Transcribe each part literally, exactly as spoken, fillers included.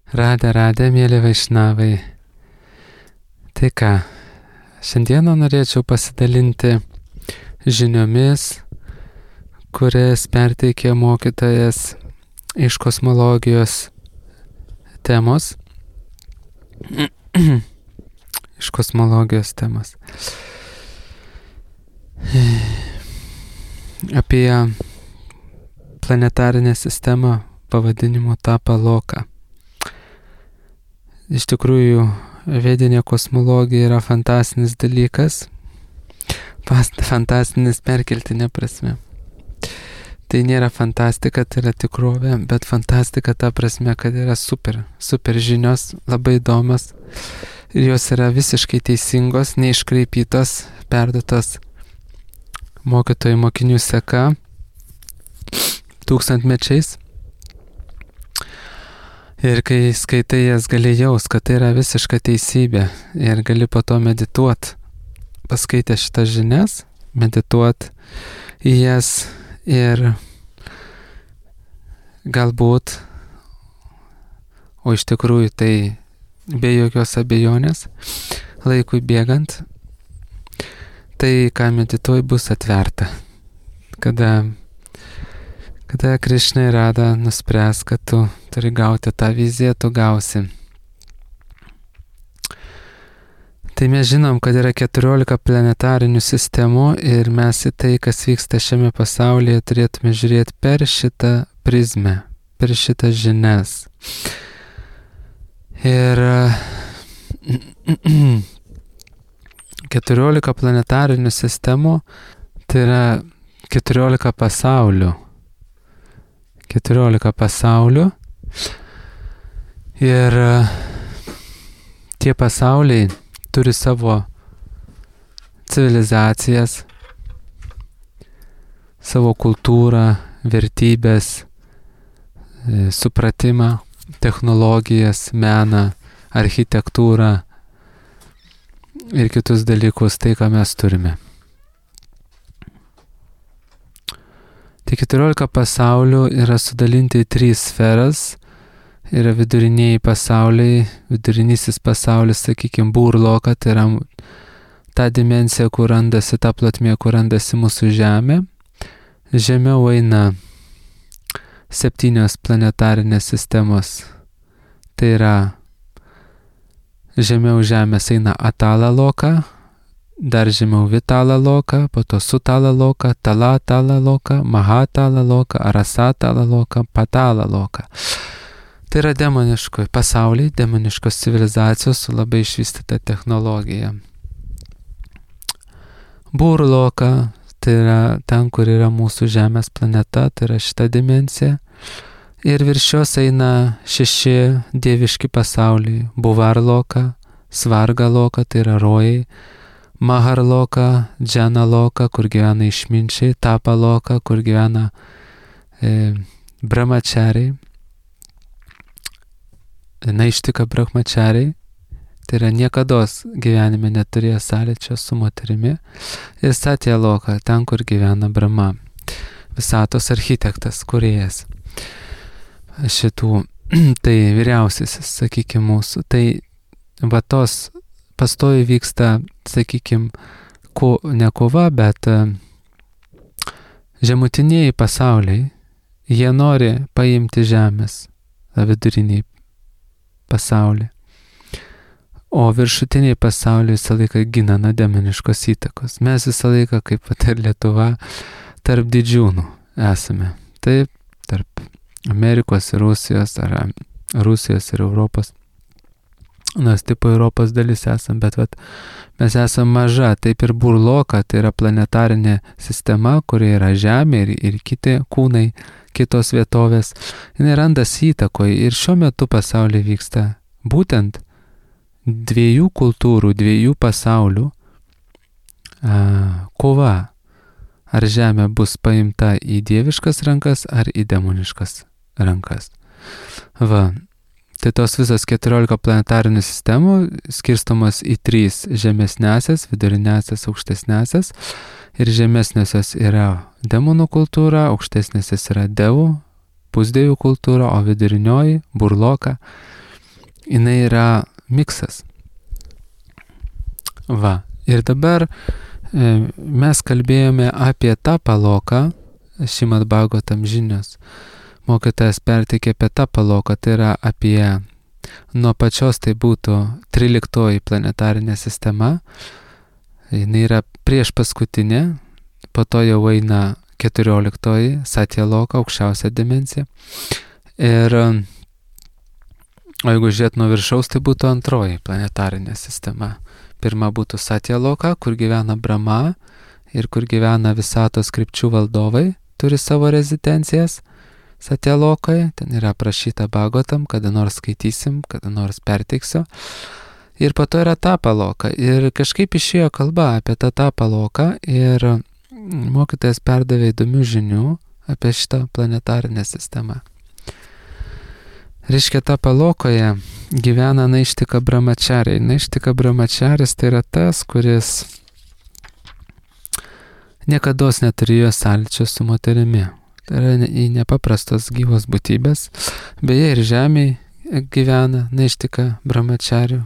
Radę, radę, mėly vaišnavai. Tai ką, šiandieną norėčiau pasidalinti žiniomis, kurias perteikė mokytojas iš kosmologijos temos. iš kosmologijos temos. Apie planetarinę sistemą pavadinimu Tapaloka. Iš tikrųjų, vedinė kosmologija yra fantastinis dalykas, fantastinis perkeltinė prasme. Tai nėra fantastika, tai yra tikrovė, bet fantastika ta prasme, kad yra super, super žinios, labai įdomios ir jos yra visiškai teisingos, neiškraipytos, perduotos mokytojų mokinių seka tūkstantmečiais. Ir kai skaitai jas, gali jaus, kad tai yra visiška teisybė ir gali po to medituot, paskaitę šitas žinias, medituot į jas ir galbūt, o iš tikrųjų tai be jokios abejonės, laikui bėgant, tai, ką medituoji, bus atverta. Kada Kada Krišna ir Rada nuspręs, kad tu turi gauti tą viziją, tu gausi. Tai mes žinom, kad yra keturiolika planetarinių sistemų ir mes į tai, kas vyksta šiame pasaulyje, turėtume žiūrėti per šitą prizmę, per šitas žinias. Ir keturiolika planetarinių sistemų, tai yra keturiolika pasaulių. keturiolika pasaulių ir tie pasauliai turi savo civilizacijas, savo kultūrą, vertybės, supratimą, technologijas, meną, architektūrą ir kitus dalykus, tai ką mes turime. Tai keturiolika pasaulių yra sudalinti į tris sferas. Yra viduriniai pasauliai, vidurinysis pasaulis, sakykime, Burloka, tai yra ta dimensija, kur randasi, ta plotmė, kur randasi mūsų Žemė. Žemiau eina septynios planetarinės sistemos. Tai yra žemiau Žemės eina Atala Loka, dar žemiau Vitala Loka, po to Sutala Loka, Tala Tala Loka, Mahatala Loka, Arasatala Loka, Patala Loka. Tai yra demoniškoj pasauliai, demoniškos civilizacijos su labai išvystyta technologija. Burloka, tai yra ten, kur yra mūsų Žemės planeta, tai yra šita dimensija. Ir virš jos eina šeši dieviški pasauliai. Buvarloka, Svargaloka, tai yra rojai. Maharloka, Džanaloka, kur gyvena išminčiai, Tapaloka, kur gyvena e, brahmachariai, naištika brahmachariai, tai yra niekados gyvenime neturėjo sąlyčio su moterimi, ir Satyaloka, ten, kur gyvena Brahma, visatos architektas, kūrėjas šitų, tai vyriausiasis, sakykime, mūsų, tai va tos pastoji vyksta, sakykime, ko, ne kova, bet žemutiniai pasauliai, jie nori paimti Žemės, viduriniai pasaulį. O viršutiniai pasauliai visą laiką gina nuo demoniškos įtakos. Mes visą laiką, kaip pat ir Lietuva, tarp didžiūnų esame. Taip, tarp Amerikos ir Rusijos, ar Rusijos ir Europos. Nors tipo Europos dalis esam, bet vat, mes esam maža, taip ir Burloka, tai yra planetarinė sistema, kurie yra Žemė ir, ir kiti kūnai, kitos vietovės. Jis randasi įtakoje ir šiuo metu pasaulyje vyksta būtent dviejų kultūrų, dviejų pasaulių a, kova. Ar Žemė bus paimta į dieviškas rankas, ar į demoniškas rankas. Va. Tai tos visos keturiolika planetarinių sistemų skirstomas į trys žemesnesias, vidurinesias, aukštesnesias. Ir žemesnesios yra demonų kultūra, aukštesnesios yra devų, pusdievių kultūra, o vidurinioji, Burloka, jinai yra miksas. Va. Ir dabar e, mes kalbėjome apie Tapaloką, Šrimad Bhagavatam žinios. Mokytojas perteikė apie Tapaloką, tai yra apie nuo pačios tai būtų tryliktoji planetarinė sistema. Jinai yra prieš paskutinė, po to jau eina keturioliktoji Satyaloka, aukščiausia dimensija. Ir o jeigu žiūrėt nuo viršaus, tai būtų antroji planetarinė sistema. Pirma būtų Satyaloka, kur gyvena Brahma ir kur gyvena visatos krypčių valdovai, turi savo rezidencijas Satyalokoje. Ten yra aprašyta Bhagavatam, kada nors skaitysim, kada nors perteiksiu. Ir po to yra Tapaloka. Ir kažkaip išėjo kalba apie tą Tapaloką ir mokytojas perdavė įdomių žinių apie šitą planetarinę sistemą. Reiškia, Tapalokoje gyvena Naištika Brahmachariai. Naištika Brahmacharis tai yra tas, kuris niekados neturėjo sąlyčio su moterimi. Tai yra į nepaprastos gyvos būtybės. Beje, ir žemėje gyvena Naištika Brahmacharių.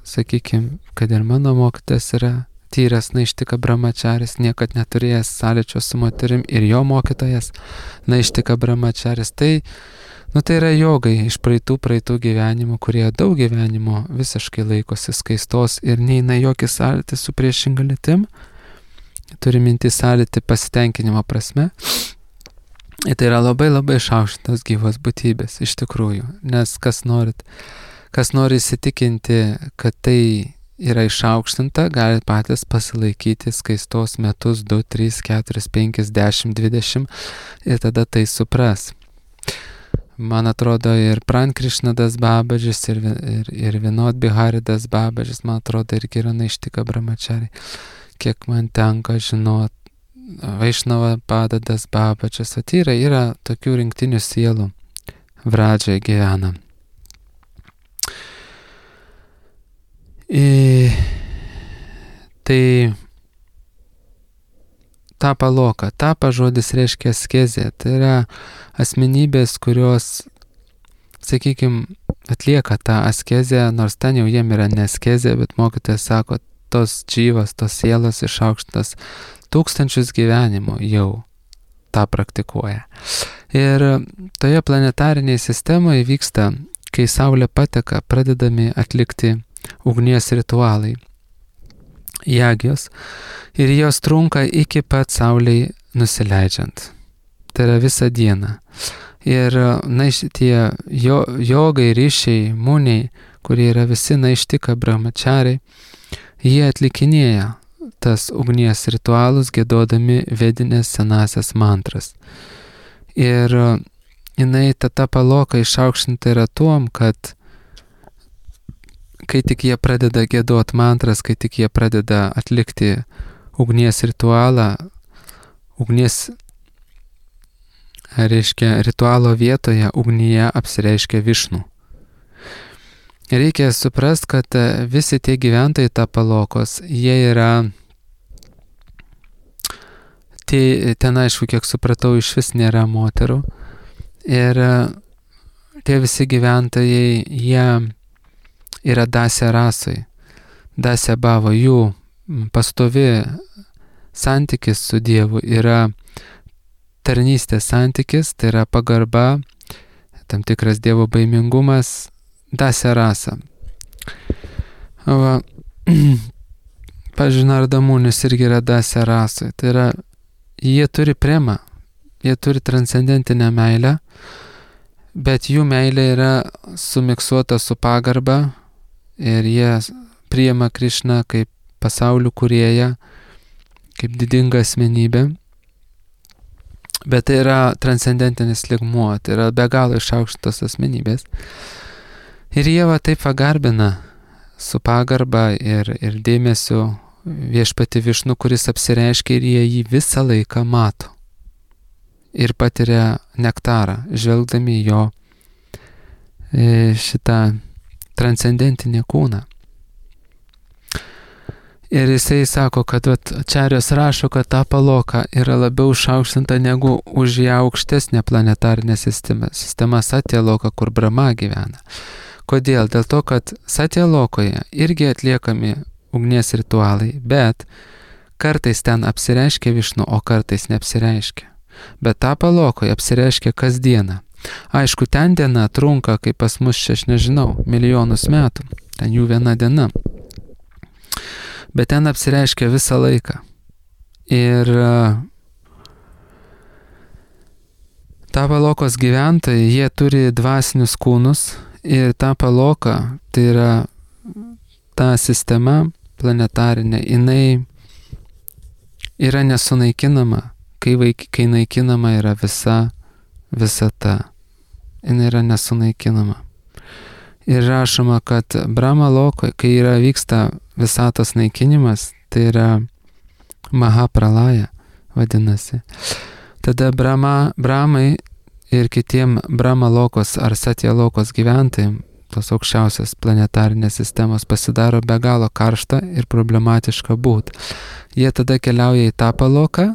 Sakykime, kad ir mano mokytas yra tyras Naištika Brahmacharis, niekad neturėjęs sąlyčio su moterim, ir jo mokytojas Naištika Brahmacharis. Tai, nu, tai yra jogai iš praeitų praeitų gyvenimų, kurie daug gyvenimo visiškai laikosi skaistos ir neina jokį sąlytį su priešinga lytim. Turi minti sąlytį pasitenkinimo prasme. Ir tai yra labai labai išaukštintos gyvos būtybės, iš tikrųjų. Nes kas norit, kas nori įsitikinti, kad tai yra išaukštinta, gali patys pasilaikyti skaistos metus du, trys, keturi, penki, dešimt, dvidešimt ir tada tai supras. Man atrodo, ir Pran Krishnadas Babažis, ir, ir, ir Vinod Bihari Das Babažis, man atrodo, irgi yra Naištika Brahmachariai. Kiek man tenka žinot, Vaišnava Padadas Babažis, atyra, yra tokių rinktinių sielų Vradžioje gyvena. I, tai Tapaloka. Tapa žodis reiškia askezė. Tai yra asmenybės, kurios, sakykime, atlieka tą askezę, nors ten jau jiem yra ne askezė, bet mokytojas sako, tos džyvos, tos sielos išaukštas tūkstančius gyvenimų jau tą praktikuoja. Ir toje planetarinėje sistemoje vyksta, kai Saulė pateka, pradedami atlikti ugnies ritualai, jagios, ir jos trunka iki pat Saulei nusileidžiant. Tai yra visą dieną. Ir na, tie jo, jogai, ryšiai, muniai, kurie yra visi Naištika Brahmachariai, jie atlikinėja tas ugnies ritualus, giedodami vedinės senasias mantras. Ir jinai ta Tapaloka išaukštinta yra tuom, kad kai tik jie pradeda giedot mantras, kai tik jie pradeda atlikti ugnies ritualą, ugnies, reiškia, ritualo vietoje ugnyje apsireiškia Višnu. Reikia suprast, kad visi tie gyventojai Tapalokos, jie yra, tai ten aišku, kiek supratau, iš vis nėra moterų. Ir tie visi gyventojai, jie yra dasė rasai, dasė bavo, jų pastovi santykis su Dievu yra tarnystės santykis, tai yra pagarba, tam tikras Dievo baimingumas, dasė rasa. Va, pavyzdžiui, Nardamunis irgi yra dasė rasai, tai yra, jie turi premą, jie turi transcendentinę meilę, bet jų meilė yra sumiksuota su pagarba, ir jie priima Krišną kaip pasaulių kūrėją, kaip didingą asmenybę. Bet tai yra transcendentinis lygmuo, tai yra be galo išaukštos asmenybės. Ir jie va taip pagarbina su pagarba ir, ir dėmesiu viešpatį Višnu, kuris apsireiškia, ir jie jį visą laiką mato. Ir patiria nektarą, žvelgdami jo šitą transcendentinį kūną. Ir jisai sako, kad vat, Čarios rašo, kad Tapaloka yra labiau išaukštinta negu už ją aukštesnė planetarinė sistema, sistema Satyaloka, kur Brahma gyvena, Kodėl? Dėl to, kad Satya Lokoje irgi atliekami ugnies ritualai, bet kartais ten apsireiškia Višnu, o kartais neapsireiškia. Bet Tapa Lokoje apsireiškia kasdieną. Aišku, ten diena trunka, kaip pas mus čia, aš nežinau, milijonus metų. Ten jų viena diena. Bet ten apsireiškia visą laiką. Ir Tapa Lokos gyventojai, jie turi dvasinius kūnus ir Tapa Loka, tai yra ta sistema planetarinė, jinai yra nesunaikinama, kai, vaik, kai naikinama yra visa visata. Jinai yra nesunaikinama. Ir rašoma, kad Brahma Lokoje, kai yra vyksta visatos naikinimas, tai yra Mahapralaya vadinasi. Tada Brahma, Brahmai ir kitiem Brahma Lokos ar Satya Lokos gyventojai, tos aukščiausios planetarinės sistemos, pasidaro be galo karšta ir problematiška būt. Jie tada keliauja į Tapa Loką,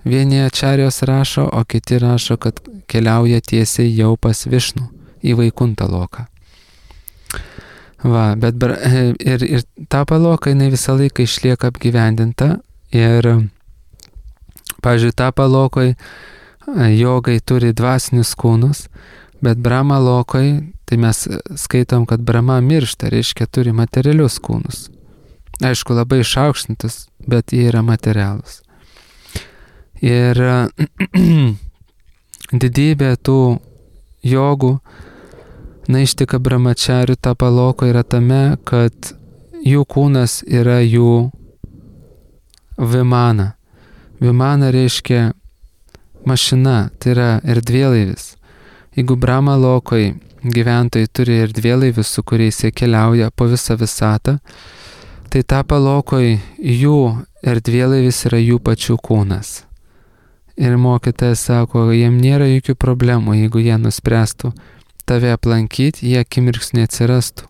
vieni ačarijos rašo, o kiti rašo, kad keliauja tiesiai jau pas Višnų į Vaikuntą Loką. Va, bet ir, ir Tapa Loka, jinai visą laiką išlieka apgyvendinta ir, pavyzdžiui, Tapa Lokoje jogai turi dvasinius kūnus, bet Brahma Lokoje, tai mes skaitom, kad Brahma miršta, reiškia turi materialius kūnus. Aišku, labai išaukštintus, bet jie yra materialūs. Ir didybė tų jogų, naištika brahmacharių Tapa Lokoje yra tame, kad jų kūnas yra jų vimana. Vimana reiškia mašina, tai yra erdvėlaivis. Jeigu Brahma Lokoje gyventojai turi erdvėlaivius, su kuriais jie keliauja po visą visatą, tai Tapa Lokoje jų erdvėlaivis yra jų pačių kūnas. Ir mokytojas sako, jiem nėra jokių problemų, jeigu jie nuspręstų tave aplankyti, jie akimirksniu atsirastų,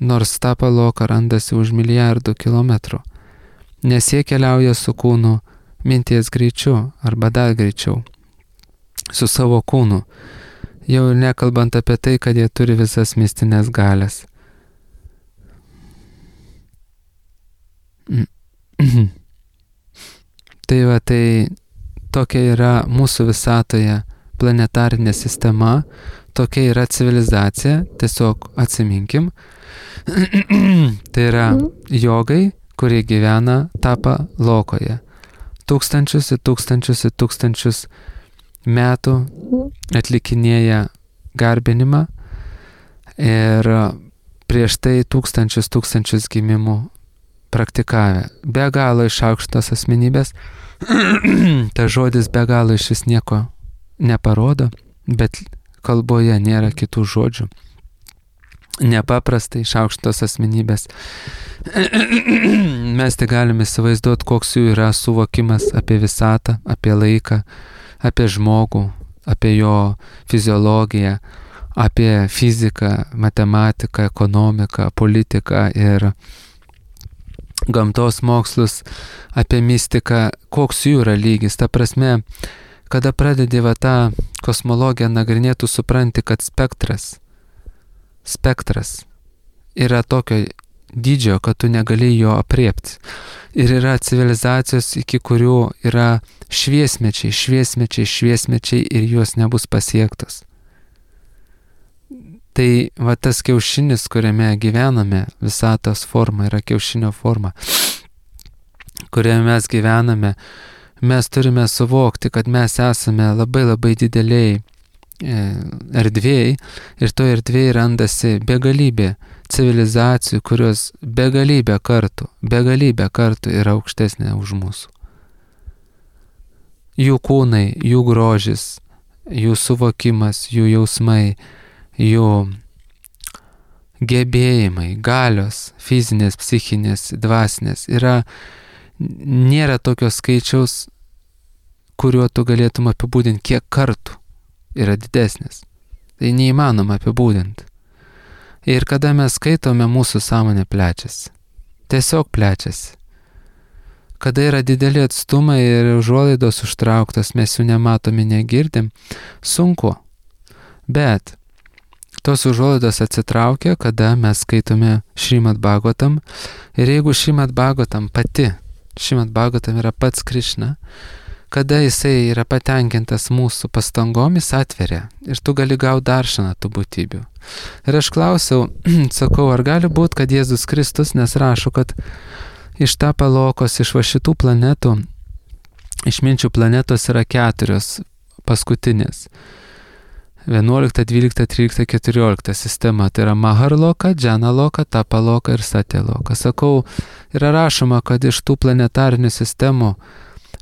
nors Tapa Loka randasi už milijardų kilometrų, nes jie keliauja su kūnu minties greičiu arba dar greičiau, su savo kūnu, jau nekalbant apie tai, kad jie turi visas mistinės galias. Tai va, tai tokia yra mūsų visatoje planetarinė sistema, tokia yra civilizacija, tiesiog atsiminkim. Tai yra jogai, kurie gyvena Tapa Lokoje. Tūkstančius ir tūkstančius ir tūkstančius metų atlikinėja garbinimą ir prieš tai tūkstančius tūkstančius gimimų praktikavę. Be galo išaukštos asmenybės. Ta žodis be galo iš vis nieko neparodo, bet kalboje nėra kitų žodžių. Nepaprastai išaukštos asmenybės. Mes tai galime įsivaizduoti, koks jų yra suvokimas apie visatą, apie laiką, apie žmogų, apie jo fiziologiją, apie fiziką, matematiką, ekonomiką, politiką ir gamtos mokslus, apie mistiką, koks jų yra lygis. Ta prasme, kada pradedi va tą kosmologiją nagrinėti, tu supranti, kad spektras, spektras yra tokio dydžio, kad tu negali jo apriepti. Ir yra civilizacijos, iki kurių yra šviesmečiai, šviesmečiai, šviesmečiai ir jos nebus pasiektos. Tai va tas kiaušinis, kuriame gyvename, visatos forma yra kiaušinio forma, kuriame mes gyvename, mes turime suvokti, kad mes esame labai labai dideliai erdvėjai ir to erdvėjai randasi begalybė civilizacijų, kurios begalybę kartų, begalybę kartų yra aukštesnė už mūsų. Jų kūnai, jų grožis, jų suvokimas, jų jausmai, jų gebėjimai, galios, fizinės, psichinės, dvasinės, yra, nėra tokio skaičiaus, kuriuo tu galėtum apibūdinti, kiek kartų yra didesnis. Tai neįmanoma apibūdinti. Ir kada mes skaitome, mūsų sąmonė plečiasi. Tiesiog plečiasi. Kada yra dideli atstumai ir užuolaidos užtrauktos, mes jų nematome, negirdim, sunku. Bet tos užuolaidos atsitraukia, kada mes skaitome Šrimad Bhagavatam. Ir jeigu Šrimad Bhagavatam pati, Šrimad Bhagavatam yra pats Krišna, kada jisai yra patenkintas mūsų pastangomis, atveria. Ir tu gali gauti daršaną tų būtybių. Ir aš klausiau, sakau, ar gali būti, kad Jėzus Kristus, nes rašo, kad iš Tapalokos, iš va šitų planetų, išminčių planetos yra keturios paskutinės. vienuolikta, dvylikta, trylikta, keturiolikta sistema. Tai yra Maharloka, Džanaloka, Tapaloka ir Satyaloka. Sakau, yra rašoma, kad iš tų planetarinių sistemų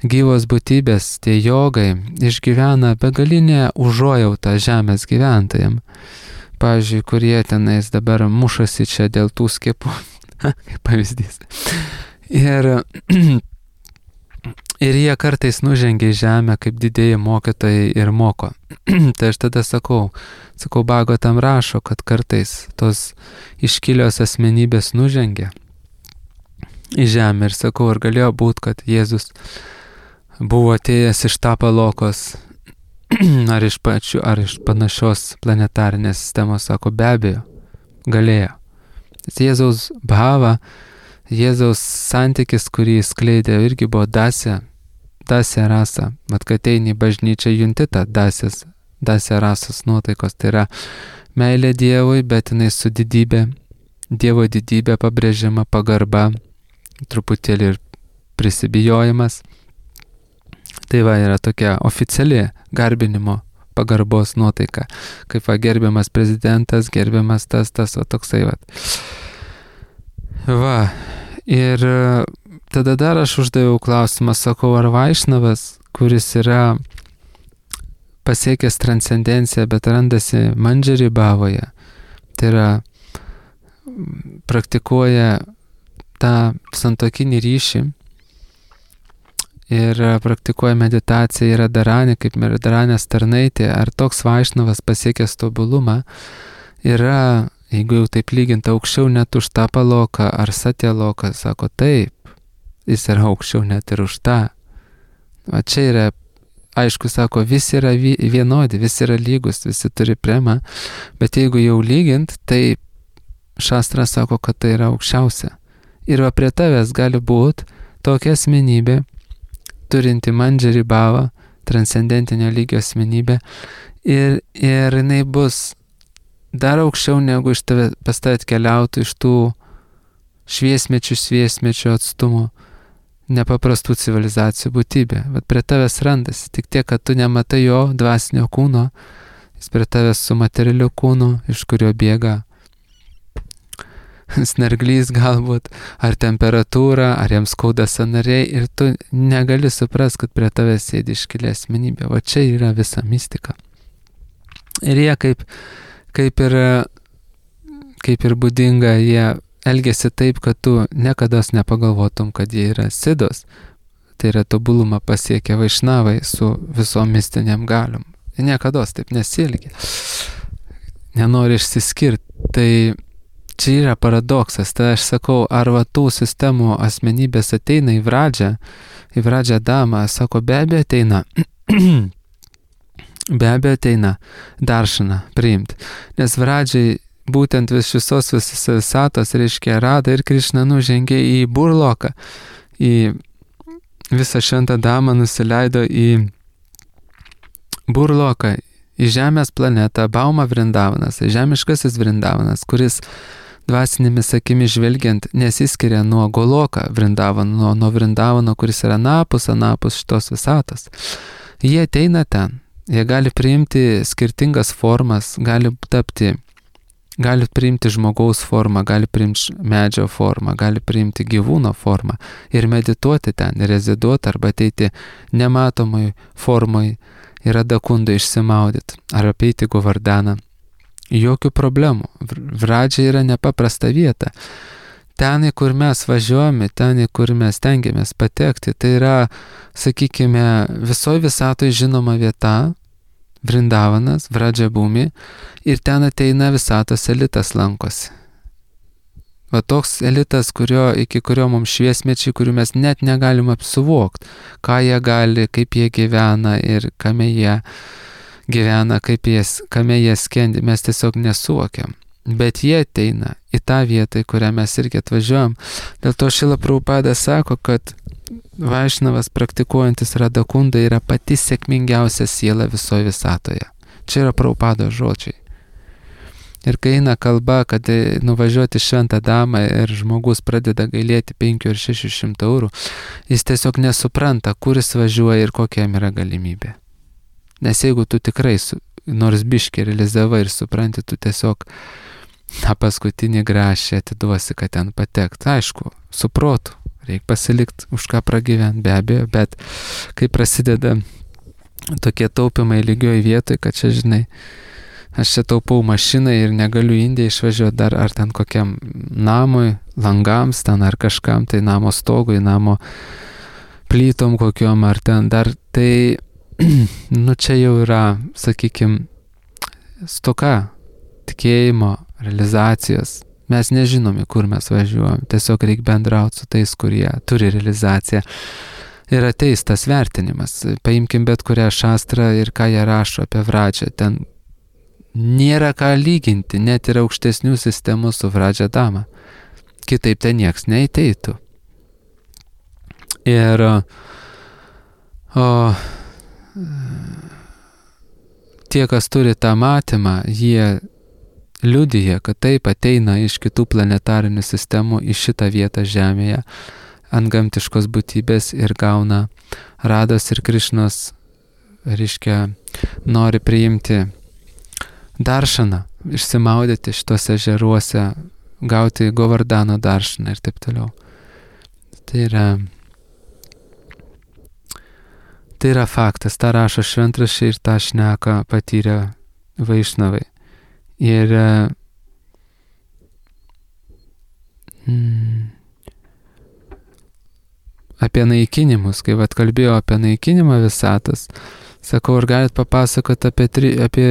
gyvos būtybės, tie jogai, išgyvena begalinę užuojautą žemės gyventojams. Pavyzdžiui, kurie tenais dabar mušasi čia dėl tų skiepų, kaip pavyzdys. Ir, ir jie kartais nužengia į žemę kaip didieji mokytojai ir moko. Tai aš tada sakau, sakau, Bhagavatam rašo, kad kartais tos iškilios asmenybės nužengia į žemę. Ir sakau, ar galėjo būti, kad Jėzus buvo atėjęs iš Tapalokos, ar iš pačių, ar iš panašios planetarinės sistemos, sako, be abejo, galėjo. Jėzaus bhava, Jėzaus santykis, kurį jis skleidė, irgi buvo dasė, dasė rasa. Mat, kad eini į bažnyčią, junti tą dasės, dasė rasos nuotaikos. Tai yra meilė Dievui, bet jinai su didybė, Dievo didybė pabrėžiama, pagarba, truputėlį ir prisibijojimas. Tai va, yra tokia oficiali garbinimo pagarbos nuotaika, kaip va, gerbiamas prezidentas, gerbiamas tas, tas, o toksai va. Va, ir tada dar aš uždaviau klausimą, sakau, ar Vaišnavas, kuris yra pasiekęs transcendenciją, bet randasi Mandžari bhavoje, tai yra praktikuoja tą santuokinį ryšį, ir praktikuoja meditaciją, yra Dharanė, kaip Dharanės tarnaitė, ar toks Vaišnavas pasiekęs tobulumą, yra, jeigu jau taip lyginti, aukščiau net už Tapaloką ar Satyaloką, sako, taip, jis yra aukščiau net ir už tą. O čia yra, aišku, sako, visi yra vienodi, visi yra lygus, visi turi premą, bet jeigu jau lygint, tai Šastra sako, kad tai yra aukščiausia. Ir va prie tavęs gali būti tokia asmenybė, turinti Mandžari bhavą, transcendentinio lygio asmenybę, ir, ir jinai bus dar aukščiau negu iš tave, pas tave atkeliautų iš tų šviesmečių, šviesmečių atstumų, nepaprastų civilizacijų būtybė. Vat prie tavęs randasi, tik tiek, kad tu nematai jo dvasinio kūno, jis prie tavęs su materialiu kūnu, iš kurio bėga snarglys galbūt, ar temperatūra, ar jiems skauda sąnariai, ir tu negali suprast, kad prie tavęs sėdi iškilė asmenybė. O čia yra visa mistika. Ir jie kaip, kaip, ir, kaip ir būdinga, jie elgesi taip, kad tu niekados nepagalvotum, kad jie yra sidos. Tai yra tobulumą pasiekę Vaišnavai su visom mistiniam galiom. Jie niekados taip nesielgia. Nenori išsiskirti. Tai čia yra paradoksas. Tai aš sakau, ar va tų sistemų asmenybės ateina į Vradžią, į Vradžią damą, sako, be abejo ateina. Be abejo ateina daršaną priimti. Nes Vradžiai būtent vis visos visatos, reiškia, Rada ir Krišna nužengė į Burloką, į visą šventą damą nusileido į Burloką, į žemės planetą, Bauma Vrindavanas, žemiškasis Vrindavanas, kuris dvasinėmis akimis žvelgiant nesiskiria nuo Goloka Vrindavano, nuo, nuo Vrindavano, kuris yra anapus, anapus šitos visatos. Jie ateina ten, jie gali priimti skirtingas formas, gali tapti, gali priimti žmogaus formą, gali priimti medžio formą, gali priimti gyvūno formą ir medituoti ten, reziduoti arba ateiti nematomai formai ir adakundai išsimaudyti ar apeiti Govardaną. Jokių problemų. Vradžia yra nepaprasta vieta. Ten, į kur mes važiuojame, ten, į kur mes tengiamės patekti, tai yra, sakykime, visoje visatoje žinoma vieta, Vrindavanas, Vradžia Bhumi, ir ten ateina visatos elitas lankosi. Va toks elitas, kurio, iki kurio mums šviesmečiai, kurių mes net negalim apsuvokti, ką jie gali, kaip jie gyvena ir kame jie gyvena, kaip jas, kame jie skendi, mes tiesiog nesuvokiam. Bet jie ateina į tą vietą, į kurią mes irgi atvažiuojam. Dėl to Šrila Prabhupada sako, kad Vaišnavas praktikuojantis Radakunda yra pati sėkmingiausia siela visoje visatoje. Čia yra Prabhupados žodžiai. Ir kai eina kalba, kad nuvažiuoti šventą damą ir žmogus pradeda gailėti penkių ir šešių šimtų eurų, jis tiesiog nesupranta, kur jis važiuoja ir kokia jam yra galimybė. Nes jeigu tu tikrai su, nors biškį realizavai ir supranti, tu tiesiog na, paskutinį grašį atiduosi, kad ten patekt. Aišku, su protu, reikia pasilikti už ką pragyventi, be abejo, bet kai prasideda tokie taupimai lygioj vietoj, kad čia, žinai, aš čia taupau mašinai ir negaliu Indiją išvažiuoti dar ar ten kokiam namui, langams ten ar kažkam, tai namo stogui, namo plytom kokiom ar ten dar, tai, nu čia jau yra, sakykime, stoka tikėjimo, realizacijos. Mes nežinome, kur mes važiuojam, tiesiog reikia bendrauti su tais, kurie turi realizaciją. Ir ateis tas vertinimas. Paimkim bet kurią šastrą ir ką jie rašo apie Vradžią. Ten nėra ką lyginti, net ir aukštesnių sistemų su Vradžia dama. Kitaip ten nieks neateitų. Ir o, tie, kas turi tą matymą, jie liudija, kad taip ateina iš kitų planetarinių sistemų į šitą vietą Žemėje, ant gamtiškos būtybės ir gauna Rados ir Krišnos, reiškia, nori priimti daršaną, išsimaudyti šitose ežeruose, gauti Govardano daršaną ir taip toliau. Tai yra, tai yra faktas, tą rašo šventraščiai ir tą šneka patyrę Vaišnavai. Ir mm, apie naikinimus, kai vat kalbėjau apie naikinimą visatos, sakau, ar galit papasakoti apie, tri, apie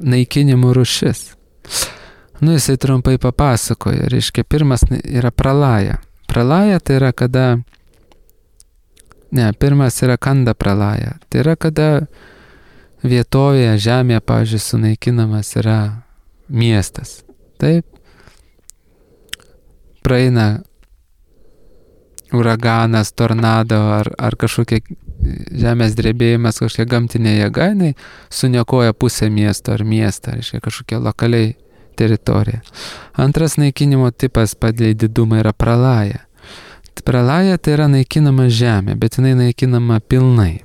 naikinimų rūšis. Nu, jisai trumpai papasakoja. Reiškia, pirmas yra pralaja. Pralaja tai yra kada, ne, pirmas yra kanda pralaja. Tai yra kada vietovėje, žemėje, pavyzdžiui, sunaikinamas yra miestas. Taip. Praeina uraganas, tornado ar, ar kažkokia žemės drebėjimas, kažkokia gamtinė jėga, jinai suniokoja pusę miesto ar miestą, reiškia kažkokia lokaliai teritorija. Antras naikinimo tipas pagal didumą yra pralaja. Pralaja tai yra naikinama žemė, bet jinai naikinama pilnai.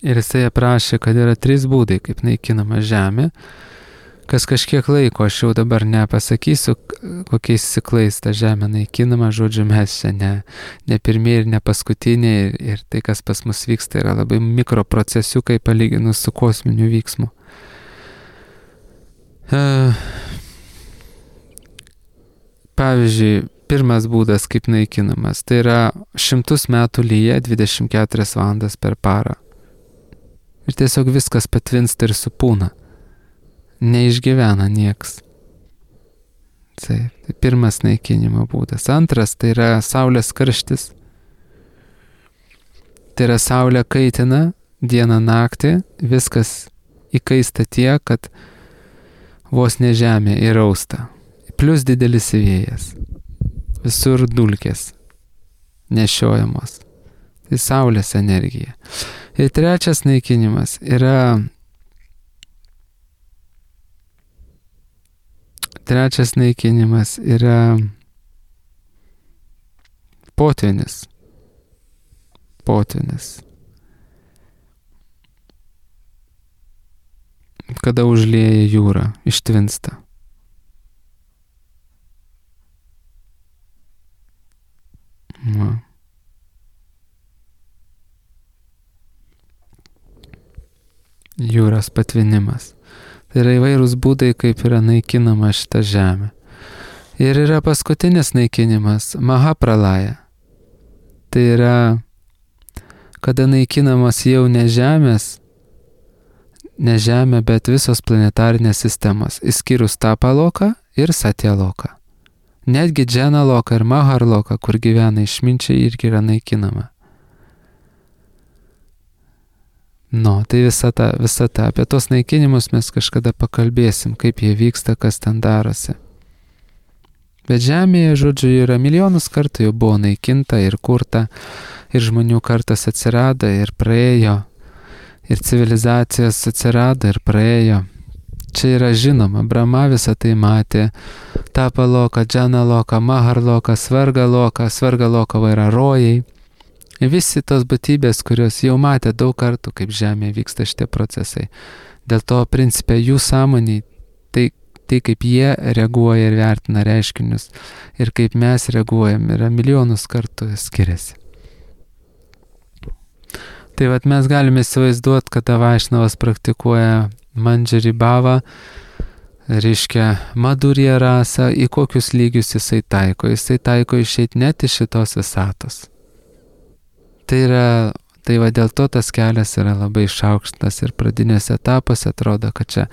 Ir jisai aprašė, kad yra trys būdai, kaip naikinama žemė, kas kažkiek laiko, aš jau dabar nepasakysiu, kokiais ciklais ta žemė naikinama, žodžiu, mes čia ne, ne pirmieji ir ne paskutiniai, ir, ir tai, kas pas mus vyksta, yra labai mikroprocesiukai palyginus su kosminiu vyksmu. Pavyzdžiui, pirmas būdas, kaip naikinamas, tai yra šimtus metų lyja dvidešimt keturias valandas per parą. Ir tiesiog viskas patvinsta ir supūna. Neišgyvena nieks. Tai, tai pirmas naikinimo būdas. Antras tai yra saulės karštis. Tai yra saulė kaitina dieną naktį, viskas įkaista tiek, kad vos ne žemė įrausta. Plius didelis vėjas. Visur dulkės nešiojamos. Tai saulės energija. Ir trečias naikinimas yra trečias naikinimas yra potvynis. Potvynis. Kada užlieja jūrą, ištvinsta. Va. Jūros patvinimas. Tai yra įvairūs būdai, kaip yra naikinama šita žemė. Ir yra paskutinis naikinimas, Mahapralaja. Tai yra, kada naikinamas jau ne žemės, ne žemė, bet visos planetarinės sistemos, išskyrus Tapaloką ir Satyaloką. Netgi Dženaloką ir Maharloką, kur gyvena išminčiai, irgi yra naikinama. Nu, tai visa ta, visa ta. Apie tos naikinimus mes kažkada pakalbėsim, kaip jie vyksta, kas ten darosi. Bet žemėje, žodžiu, yra milijonus kartų jau buvo naikinta ir kurta, ir žmonių kartas atsirado ir praėjo, ir civilizacijos atsirado ir praėjo. Čia yra žinoma, Brahma visą tai matė, Tapa loka, Džana loka, Mahar loka, Svarga loka, Svarga loka yra rojai. Visi tos būtybės, kurios jau matė daug kartų, kaip žemėje vyksta šitie procesai. Dėl to, principė, jų sąmoniai, tai, tai kaip jie reaguoja ir vertina reiškinius, ir kaip mes reaguojam, yra milijonus kartų skiriasi. Tai vat mes galime įsivaizduoti, kada Vaišnavas praktikuoja Mandžari Bhavą, reiškia Madhurya rasą, į kokius lygius jisai taiko. Jisai taiko išeiti net iš šitos visatos. Tai yra, tai va dėl to tas kelias yra labai išaukštas ir pradinėse etapuose atrodo, kad čia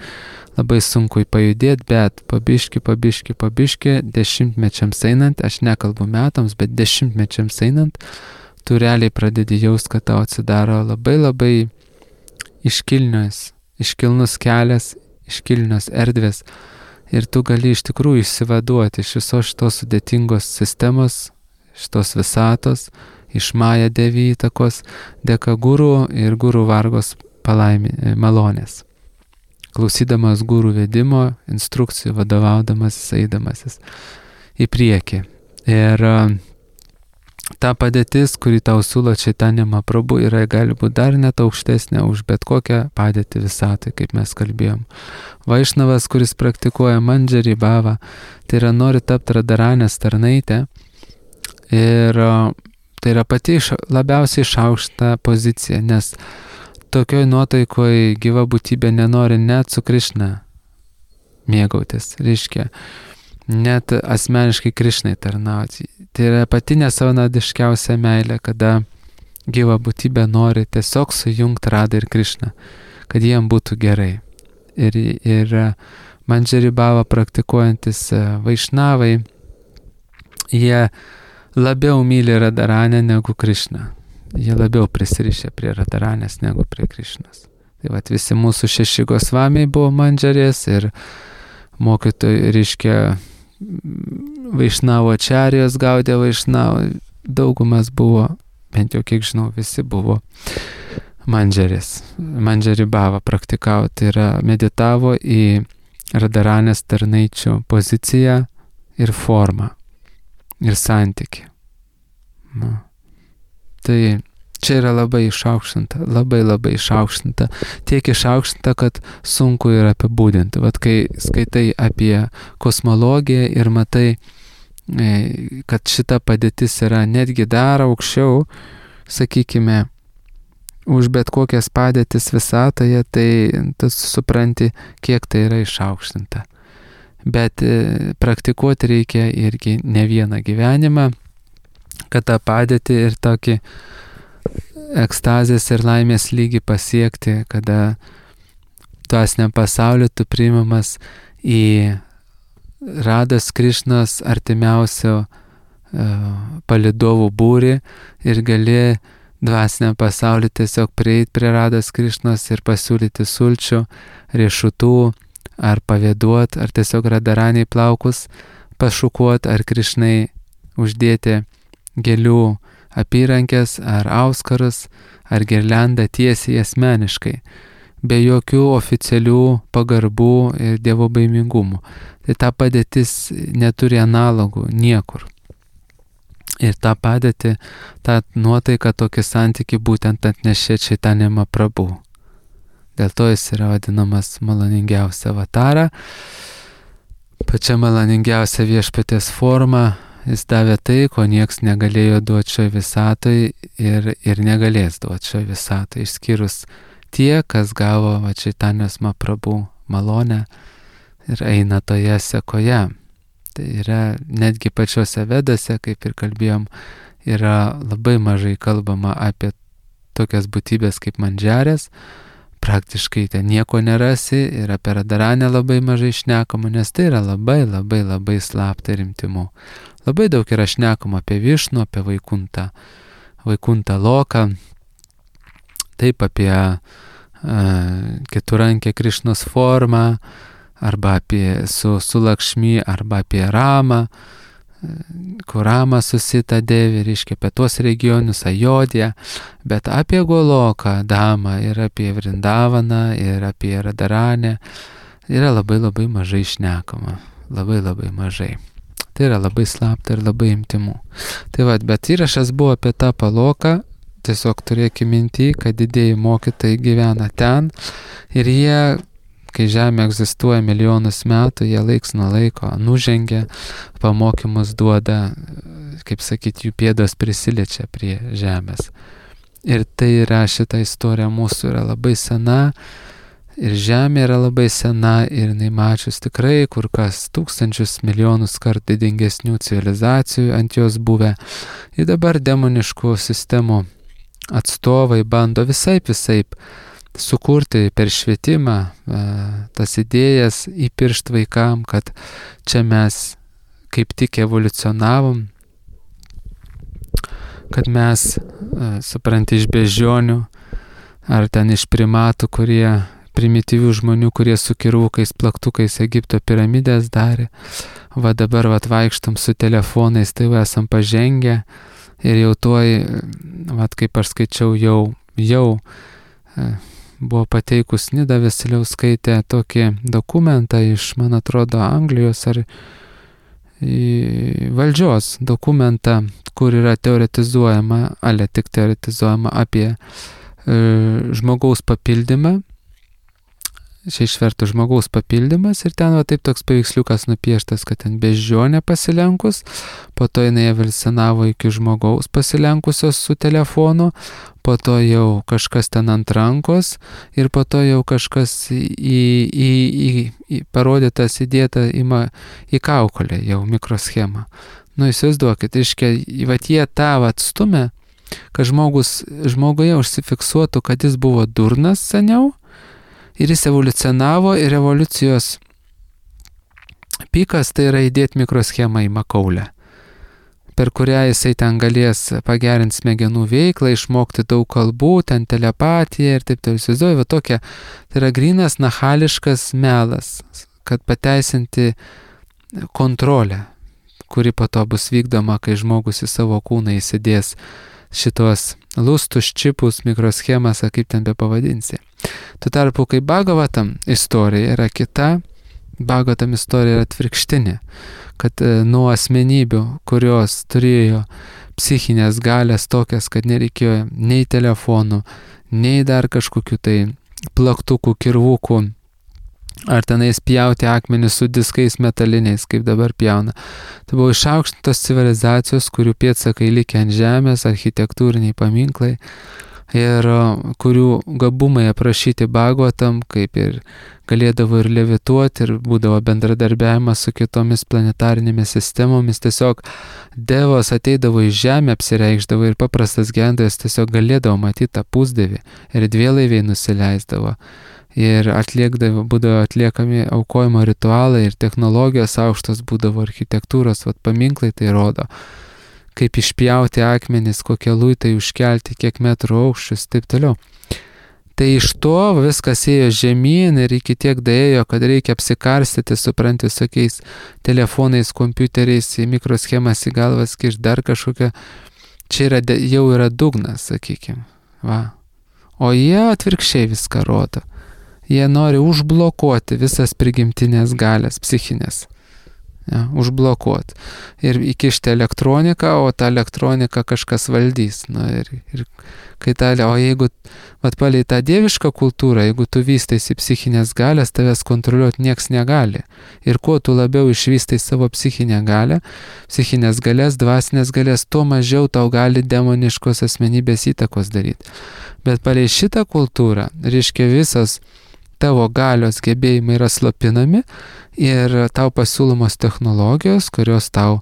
labai sunku pajudėti, bet pabiški, pabiški, pabiški, dešimtmečiams einant, aš nekalbu metams, bet dešimtmečiams einant, tu realiai pradedi jaust, kad tau atsidaro labai labai iškilnios, iškilnus kelias, iškilnios erdvės ir tu gali iš tikrųjų išsivaduoti iš visos šitos sudėtingos sistemos, šitos visatos, iš Maja Devi įtakos, dėka gurų ir gurų vargos palaimi, malonės. Klausydamas gurų vedimo, instrukcijų, vadovaudamasis, eidamasis į priekį. Ir ta padėtis, kurį tau siūlo Chaitanya Mahaprabhu, yra gali būti dar net aukštesnė už bet kokią padėtį visatai, kaip mes kalbėjom. Vaišnavas, kuris praktikuoja Mandžari Bhavą, tai yra nori tapti Radharanės tarnaitę ir tai yra pati labiausiai išaukšta pozicija, nes tokioj nuotaikoje gyva būtybė nenori net su Krišna mėgautis, reiškia, net asmeniškai Krišnai tarnauti. Tai yra pati nesavanaudiškiausia meilė, kada gyva būtybė nori tiesiog sujungti Radhą ir Krišną, kad jiem būtų gerai. Ir, ir Mandžari Bhavą praktikuojantis Vaišnavai, jie labiau myli Radharanę negu Krišną. Jie labiau prisirišę prie Radharanės negu prie Krišnos. Tai vat visi mūsų šeši Gosvamiai buvo Mandžarės ir mokytojai, reiškia, Vaišnavo Ačarijos gaudė Vaišnavo, daugumas buvo, bent jau kiek žinau, visi buvo Mandžarės. Mandžari Bhavą praktikavo, tai yra meditavo į Radharanės tarnaičių poziciją ir formą ir santyki. Nu. Tai čia yra labai išaukštinta, labai labai išaukštinta, tiek išaukštinta, kad sunku yra apibūdinti. Vat kai skaitai apie kosmologiją ir matai, kad šita padėtis yra netgi dar aukščiau, sakykime, už bet kokias padėtis visatoje, tai tu supranti, kiek tai yra išaukštinta. Bet praktikuoti reikia irgi ne vieną gyvenimą, kad tą padėtį ir tokį ekstazės ir laimės lygį pasiekti, kada dvasiniam pasauliu tu priimamas į Radhos Krišnos artimiausio uh, palydovų būrį ir gali dvasiniam pasauliu tiesiog prieiti prie Radhos Krišnos ir pasiūlyti sulčių, riešutų, ar pavėduot, ar tiesiog Radharaniai plaukus pašukuot, ar Krišnai uždėti gėlių apyrankės, ar auskarus, ar girliandą tiesiai asmeniškai, be jokių oficialių pagarbų ir dievo baimingumų. Tai ta padėtis neturi analogų niekur. Ir tą padėtį, tą nuotaiką, tokį santykį būtent atnešė Chaitanya Mahaprabhu. Dėl to jis yra vadinamas maloningiausia avatara. Pačia maloningiausia viešpaties forma jis davė tai, ko nieks negalėjo duoti šioje visatoje ir, ir negalės duoti šioje visatoje, išskyrus tie, kas gavo Chaitanijos Mahaprabhu malonę ir eina toje sekoje. Tai yra netgi pačiose vedose, kaip ir kalbėjom, yra labai mažai kalbama apie tokias būtybės kaip Mandžarės. Praktiškai ten nieko nerasi ir apie Radharanę labai mažai šnekama, nes tai yra labai labai labai slapta ir intymu. Labai daug yra šnekama apie Višnų, apie Vaikuntą, Vaikuntą Loką. taip apie uh, keturankę Krišnos formą, arba apie su, su Lakšmi, arba apie Ramą, kur Rama susita Devi, reiškia apie tuos regionus, Ajodją, bet apie Goloką, Damą ir apie Vrindavaną ir apie Radaranę yra labai labai mažai šnekama, labai labai mažai. Tai yra labai slapta ir labai intimu. Tai va, bet įrašas buvo apie tą Paloką, tiesiog turėkime minty, kad didieji mokytojai gyvena ten ir jie, kai Žemė egzistuoja milijonus metų, jie laiks nuo laiko nužengia, pamokymus duoda, kaip sakyti, jų pėdos prisiliečia prie Žemės. Ir tai yra, šita istorija mūsų yra labai sena, ir Žemė yra labai sena, ir jinai mačius tikrai kur kas tūkstančius milijonus kart didingesnių civilizacijų ant jos buvę. Ir dabar demoniškų sistemų atstovai bando visaip visaip sukurti per švietimą tas idėjas įpiršt vaikam, kad čia mes kaip tik evoliucionavom, kad mes, supranti, iš beždžionių ar ten iš primatų, kurie primityvių žmonių, kurie su kirvukais, plaktukais Egipto piramidės darė, va dabar va vaikštam su telefonais, tai va esam pažengę ir jau tuoj, va kaip aš skaičiau, jau, jau buvo pateikus Nida Vasiliauskaitė tokį dokumentą iš, man atrodo, Anglijos ar valdžios dokumentą, kur yra teoretizuojama, ale tik teoretizuojama apie e, žmogaus papildymą. Čia išvertų žmogaus papildymas ir ten va taip toks paveiksliukas nupieštas, kad ten beždžionė pasilenkus, po to jinai evoliucionavo iki žmogaus pasilenkusios su telefonu, po to jau kažkas ten ant rankos ir po to jau kažkas į, į, į, į parodytas įdėta į, į kaukolę, jau mikroschemą. Nu, įsivaizduokit, reiškia, vat jie tą atstumė, kad žmogus, žmoguje užsifiksuotų, kad jis buvo durnas seniau, ir jis evoliucionavo ir evoliucijos pikas tai yra įdėti mikroschemą į makaulę, per kurią jisai ten galės pagerinti smegenų veiklą, išmokti daug kalbų, ten telepatiją ir taip taip įsivaizduoju, va tokia, tai yra grynas nachališkas melas, kad pateisinti kontrolę, kuri po to bus vykdoma, kai žmogus į savo kūną įsidės šitos lustus, čipus, mikroschemas, ar kaip ten be pavadinsi. Tuo tarpu, kai Bhagavatam istorija yra kita, Bhagavatam istorija yra atvirkštinė, kad e, nuo asmenybių, kurios turėjo psichinės galės tokias, kad nereikėjo nei telefonų, nei dar kažkokių tai plaktukų, kirvukų, ar tenais pjauti akmenis su diskais metaliniais, kaip dabar pjauna. Tai buvo išaukštintos civilizacijos, kurių pėdsakai likę ant žemės, architektūriniai paminklai, ir kurių gabumai aprašyti Bhagavatam, kaip ir galėdavo ir levituoti, ir būdavo bendradarbiavimas su kitomis planetarinėmis sistemomis. Tiesiog devos ateidavo į žemę, apsireikšdavo ir paprastas gyventojas tiesiog galėdavo matyti tą pusdievį ir dvielaiviai nusileisdavo. Ir atliekdavo, būdavo atliekami aukojimo ritualai ir technologijos aukštos būdavo, architektūros, vat paminklai tai rodo, kaip išpjauti akmenis, kokie luitai užkelti, kiek metrų aukščius, taip toliau. Tai iš to viskas ėjo žemyn ir iki tiek daėjo, kad reikia apsikarstyti, supranti, visokiais telefonais, kompiuteriais, į mikroschemas į galvas, kiš dar kažkokią. Čia yra, jau yra dugnas, sakykime. Va. O jie atvirkščiai viską rodo. Jie nori užblokuoti visas prigimtinės galės, psichinės. Ja, užblokuoti. Ir įkišti elektroniką, o tą elektroniką kažkas valdys. Nu, ir, ir kai ta, o jeigu, vat palei tą dievišką kultūrą, jeigu tu vystaisi psichinės galės, tavęs kontroliuoti nieks negali. Ir kuo tu labiau išvystai savo psichinę galę, psichinės galės, dvasinės galės, tuo mažiau tau gali demoniškos asmenybės įtakos daryti. Bet palei šitą kultūrą, reiškia visas tavo galios gebėjimai yra slopinami ir tau pasiūlomos technologijos, kurios tau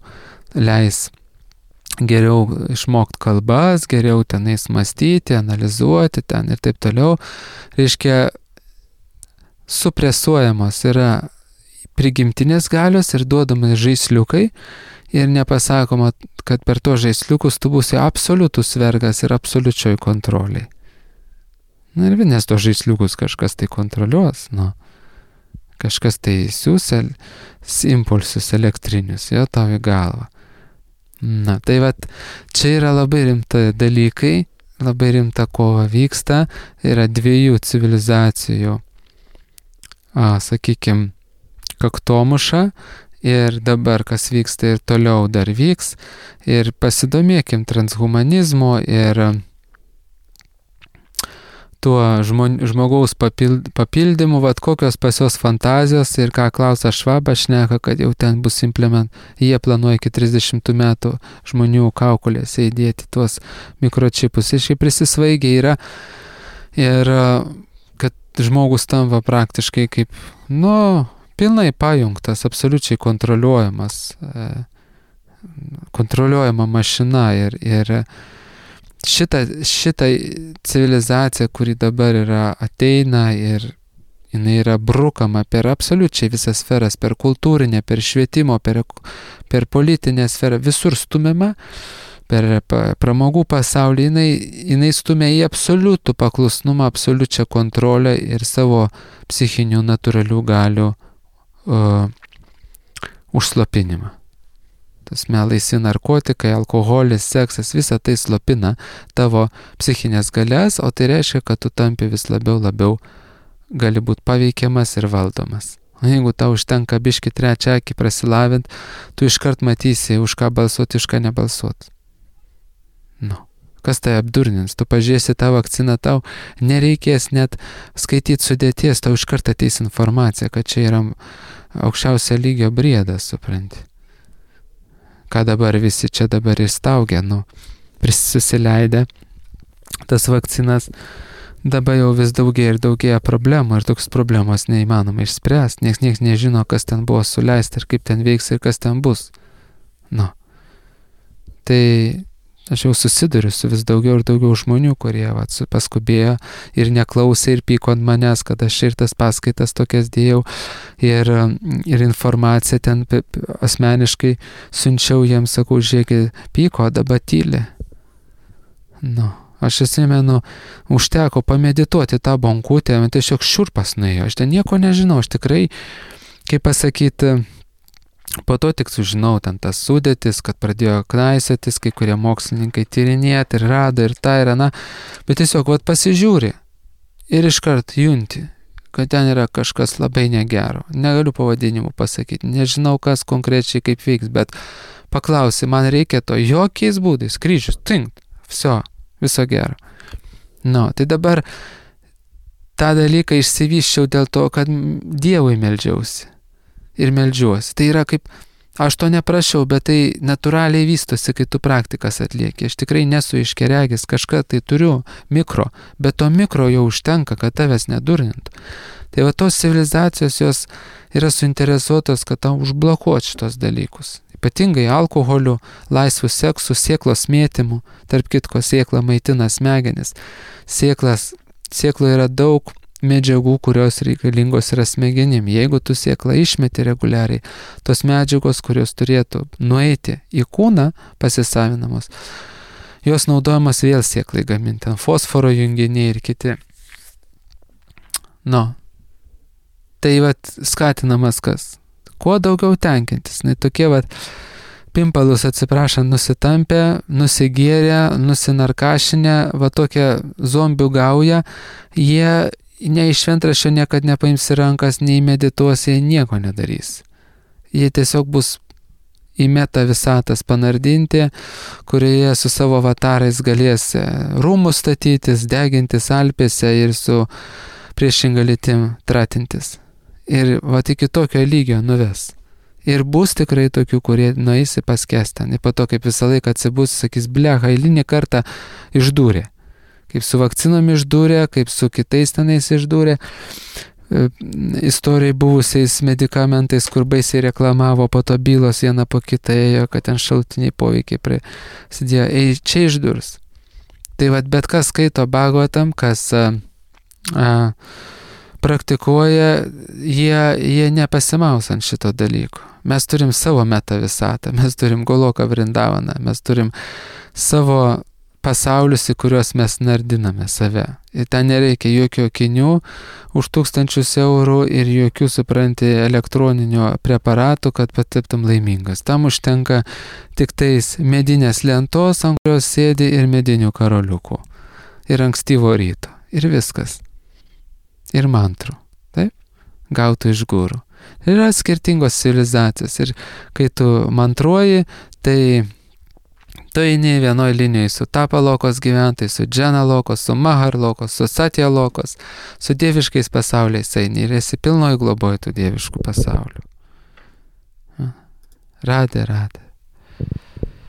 leis geriau išmokti kalbas, geriau tenais mąstyti, analizuoti ten ir taip toliau. Reiškia, supresuojamos yra prigimtinės galios ir duodami žaisliukai ir nepasakoma, kad per to žaisliukus tu būsi absoliutus vergas ir absoliučioj kontroliai. Na ir vienas to žaisliukus kažkas tai kontroliuos, nu. Kažkas tai siūs impulsus elektrinius, jo tau į galvą. Na, tai vat, čia yra labai rimta dalykai, labai rimta kova vyksta, yra dviejų civilizacijų, a, sakykime, kaktomuša ir dabar kas vyksta ir toliau dar vyks ir pasidomėkim transhumanizmo ir tuo žmon, žmogaus papild, papildymu, vat kokios pas jos fantazijos ir ką Klausas Švabas šneka, kad jau ten bus implement, jie planuoja iki trisdešimtų metų žmonių kaukolėse įdėti tuos mikročipus. Ir šiaip prisisvaigė yra ir kad žmogus tampa praktiškai kaip, nu, pilnai pajungtas, absoliučiai kontroliuojamas, kontroliuojama mašina ir, ir šita, šita civilizacija, kuri dabar yra ateina ir jinai yra brukama per absoliučiai visas sferas, per kultūrinę, per švietimo, per, per politinę sferą, visur stumiama, per pramogų pasaulį, jinai, jinai stumia į absoliutų paklusnumą, absoliučią kontrolę ir savo psichinių natūralių galių uh, užslopinimą. Tas laisvi narkotikai, alkoholis, seksas, visa tai slopina tavo psichinės galias, o tai reiškia, kad tu tampi vis labiau, labiau gali būti paveikiamas ir valdomas. O jeigu tau užtenka biški trečią akį prasilavint, tu iškart matysi, už ką balsuoti, už ką nebalsuoti. Nu, kas tai apdurnins? Tu pažiūrėsi tą vakciną, tau nereikės net skaityti sudėties, tau iškart ateis informacija, kad čia yra aukščiausio lygio briedas, supranti. Ką dabar visi čia dabar įstaugia, nu, susileidę tas vakcinas, dabar jau vis daugiau ir daugiau problemų ir toks problemos neįmanoma išspręsti, nieks, nieks nežino, kas ten buvo suleista ir kaip ten veiks ir kas ten bus. Nu, tai aš jau susiduriu su vis daugiau ir daugiau žmonių, kurie vat, paskubėjo ir neklausė ir pyko ant manęs, kad aš ir tas paskaitas tokias dėjau ir, ir informaciją ten asmeniškai siunčiau jiems, sakau, žiūrėkit, pyko, dabar tyli. Nu, aš atsimenu, užteko pamedituoti tą bonkutę, man tiesiog šiurpas nuėjo, aš ten nieko nežinau, aš tikrai, kaip pasakyti, po to tik sužinau ten tas sudėtis, kad pradėjo knaisiotis, kai kurie mokslininkai tyrinėti ir rado ir tą ir aną, bet tiesiog vat pasižiūri ir iškart junti, kad ten yra kažkas labai negero. Negaliu pavadinimų pasakyti, nežinau kas konkrečiai kaip veiks, bet paklausi, man reikia to jokiais būdais, kryžius, tinkt, viso, viso gero. Nu, tai dabar tą dalyką išsivyščiau dėl to, kad Dievui meldžiausi. Ir meldžiuosi. Tai yra kaip, aš to neprašiau, bet tai natūraliai vystosi, kai tu praktikas atlieki. Aš tikrai nesu iškeregis, kažką tai turiu mikro, bet to mikro jau užtenka, kad tavęs nedurnintų. Tai va tos civilizacijos jos yra suinteresuotos, kad tau užblokuot šitos dalykus. Ypatingai alkoholiu, laisvų seksų, sėklos mėtymų, tarp kitko sėkla maitina smegenis. Sėklas, sėklo yra daug medžiagų, kurios reikalingos yra smegenim. Jeigu tu sėklą išmeti reguliariai, tos medžiagos, kurios turėtų nueiti į kūną pasisavinamos, jos naudojamas vėl sėklai gaminti, fosforo junginiai ir kiti. Nu, tai vat skatinamas kas? Kuo daugiau tenkintis. Na, tokie vat pimpalus atsiprašant nusitampę, nusigėrę, nusinarkašinę, va tokia zombių gauja, jie nei iš šventraščio niekad nepaims į rankas, nei medituos, jie nieko nedarys. Jie tiesiog bus į meta visatas panardinti, kurioje su savo avatarais galės rūmus statytis, degintis Alpėse ir su priešinga lytim tratintis. Ir va iki tokio lygio nuves. Ir bus tikrai tokių, kurie nueisi paskęs ten. Ir po to, kaip visą laiką atsibus, sakys, blecha, eilinį kartą išdūrė. Kaip su vakcinom išdūrė, kaip su kitais tenais išdūrė, istorijai buvusiais medikamentais, kur baisiai reklamavo, po to bylos viena po kitą ėjo, kad ten šalutiniai poveikiai prasidėjo. Ei, čia išdurs. Tai vat bet kas skaito Bhagavatam, kas a, a, praktikuoja, jie, jie nepasimaus ant šito dalyko. Mes turim savo meta visatą, mes turim Goloką Vrindavaną, mes turim savo pasaulius, į kuriuos mes nardiname save. Ir ten nereikia jokių akinių už tūkstančius eurų ir jokių, supranti, elektroninių preparatų, kad pataptum laimingas. Tam užtenka tik tais medinės lentos, ant kurios sėdi, ir medinių karoliukų. Ir ankstyvo ryto. Ir viskas. Ir mantrų. Taip? Gautų iš gurų. Yra skirtingos civilizacijos. Ir kai tu mantruoji, tai tu eini vienoj linijoje su Tapalokos gyventojais, su Dženalokos, su Maharlokos, su Satyalokos, su dieviškais pasauliais eini ir esi pilnoj globoj tų dieviškų pasaulių. Radė, radė.